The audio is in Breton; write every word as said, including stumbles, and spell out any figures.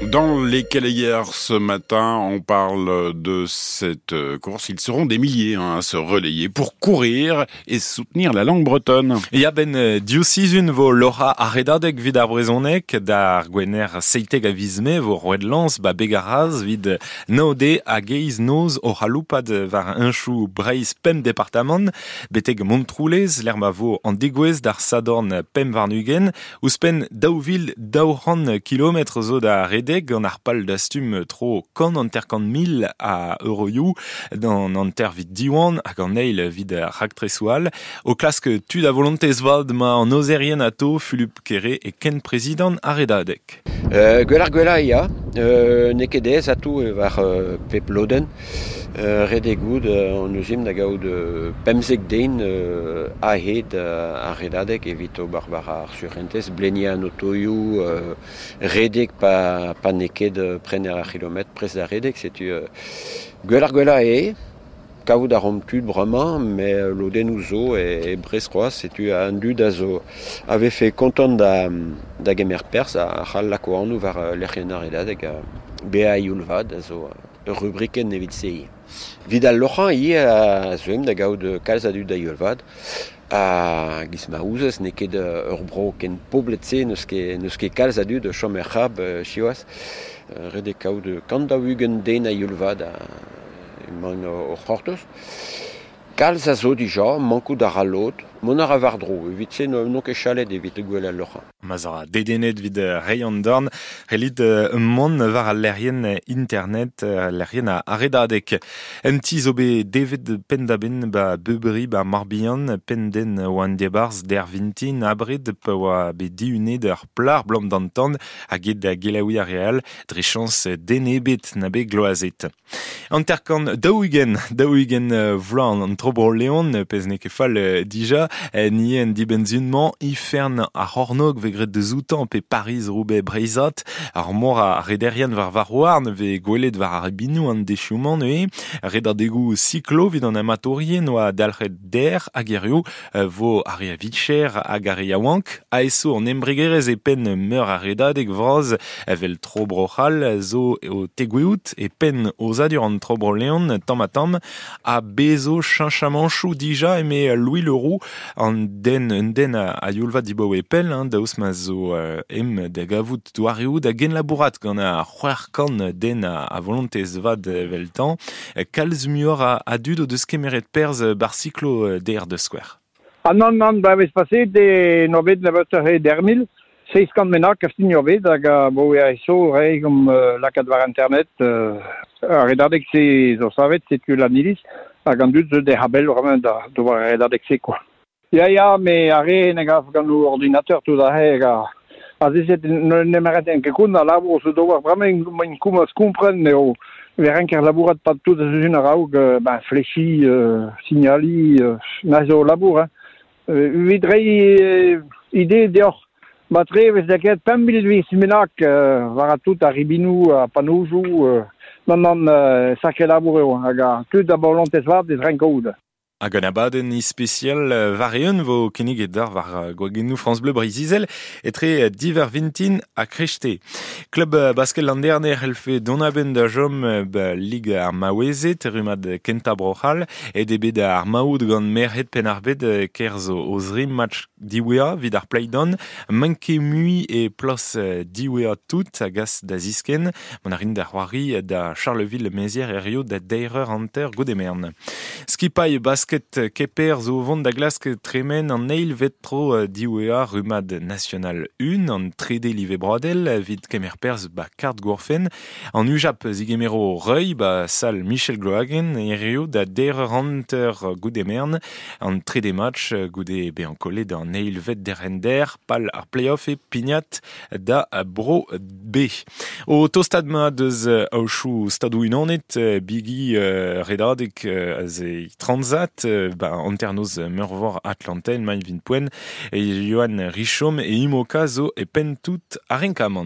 Dans les Calayères ce matin, on parle de cette course. Ils seront des milliers hein, à se relayer pour courir et soutenir la langue bretonne. Ya ben div sizhun vo loc'hañ ar Redadeg 'vit ar brezhoneg d'ar gwener seitek a viz Mae vo roet lañs ba Beg ar Raz 'vit nav deiz hag eizh noz o c'haloupat war henchoù Breizh pemp departamant betek Montroulez lec'h ma vo an degouezh d'ar Sadorn pemp warn-ugent ouzhpenn daou vil daou c'hant kilometr zo da redek gant ar pal dastum tro kant hanter-kant mil a euroioù d'an hanter 'vit Diwan hag an eil 'vit raktresoù all o klask tud a volontez vat 'ma an aozerien atao Fulup Kere eo kenprezidant ar Redadeg. Euh, gwell ar gwellañ ya, euh, n'eo ket aes atao war euh, pep lodenn. Euh, ret eo goût euh, an eus da gaout euh, pemzek den euh, a-hed euh, ar Redadeg evit ober war ar surentez, bleniañ an otoioù, euh, redek pa, pa n'eo ket prener ar c'hilometr prest da redek, setu euh, gwell ar gwellañ eo, kaout a ran tud bremañ, met lodennoù zo e, e Brest c'hoazh, setu an dud a zo a vefe kontant da, da gemer perzh a c'hall lako anv war lec'hienn ar Redadeg bezañ a-youl vat a zo ur rubrikenn evit se. 'Vit al loc'hañ ivez a zeuemp da gaout kalz a dud a-youl vat ha giz ma ouzez n'eo ket ur bro ken poblet-se n'eus ket, n'eus ket kalz a dud o chom er c'hab siwazh. Ret eo kaout kant daou-ugent den a-youl vat a emaint o c'hortoz. Kalz a zo dija, mankout a ra lod, mont a ra war-dro, evit se n'on ket chalet evit gwell al loc'hañ. Ma 'z oc'h dedennet 'vit reiñ an dorn, c'hellit mont war al lec'hienn internet, lec'hienn ar Redadeg. Un ti zo bet devet penn-da-benn ba Beubri ba Morbihan, pemp den oant e-barzh dec'h vintin abred pa oa bet dihunet ur plac'h 'blam d'an tan hag aet da gelaouiñ ar re all dre chañs den ebet na bet gloazet. Hanter-kant daou-ugent, daou-ugent vloaz an Tro Bro Leon, pezh n'eo ket fall dija, ni en dibenn-sizhun-mañ, Ifern ar C'hornôg vez graet deus outañ pe Pariz-Roubaix Breizhat, ar mor a rederien war varc'h-houarn vez gwelet war ar ribinoù an deizioù-mañ neuze, redadegoù siklo 'vit an amatourien oa dalc'het dec'h hag hiziv vo ar re a vicher hag ar re yaouank, aeso an embregerezh e penn meur a redadeg vras evel Tro Bro-C'hall zo o tegouezhout e penn aozadur an Tro Bro Leon tamm ha tamm ha bezo cheñchamanchoù dija eme Louis Leroux an den un den a youl vat dibaoe pell hein, daoust ma zo euh, em da gavout doareoù da genlabourat gant ar c'hwec'h kant den a, a volontez vat eveltañ kalz muioc'h a, a dud o deus kemeret perzh bar siklo dec'h da skouer. Ah non, non, ba vez paset e no bet nebeutoc'h e deir mil, seizh kant bennak a fin bet hag a bo e so re gom uh, lakaat war internet uh, ar redadeg se zo savet setu Lannilis hag an dud zo de habel vraiment da d'ober ar redadeg se quoi. Ya ya, me ar re ne gaf gant o ordinateur tout a hag a a zezet nemeret en ket kont a labour zo d'ober bremañ main koumaz kompren eo ver enker labourat pa tout a zuzun a-raok ben flechi, euh, signali, euh, na zo labour hein. Evit reiñ ide deoc'h matre vez da ket pemp mil viz bennak euh, war a tout ar ribinoù a panojoù euh, non non euh, sacré labour eo hag a tud a volontez vat ez renk kaout. Hag an abadenn ispisial war-eeun vo kinniget deoc'h war gwagennoù France Bleu Breizh-Izel etre div eur vintin ha kreisteiz. Klub basket Landerne c'hellfe dont a-benn da chom ba Lig ar Maouezed, rummad kentañ Bro-C'hall, aet eo bet ar maout gant merc'hed Penn-ar-Bed 'kerzh o zri match diwezhañ 'vit ar play-down, manke mui e plas diwezhañ tout a gas da ziskenn, mont a rint da c'hoari da Charleville-Mézières hiziv da deir eur hanter goude merenn. Skipailh basket Kemper zo vont da glask tremen an eilvet tro diwezhañ rummad National un an trede live broadel 'vit kemer perzh ba kard gourfenn. An U J A P zigemero Reuil ba sal Michel Gloagen hiziv da deir eur hanter goude merenn an trede match goude bezañ kollet an eilvet derc'hent pal ar play-off e pignat da Bro B. O tostaat 'ma deus aochoù Stadoù-Unanet bigi redadeg aze Transat ba hanternoz Meurvor Atlantel mañ 'vit poent e Yoann Richom e Imoca zo e penn tout ar renkamant.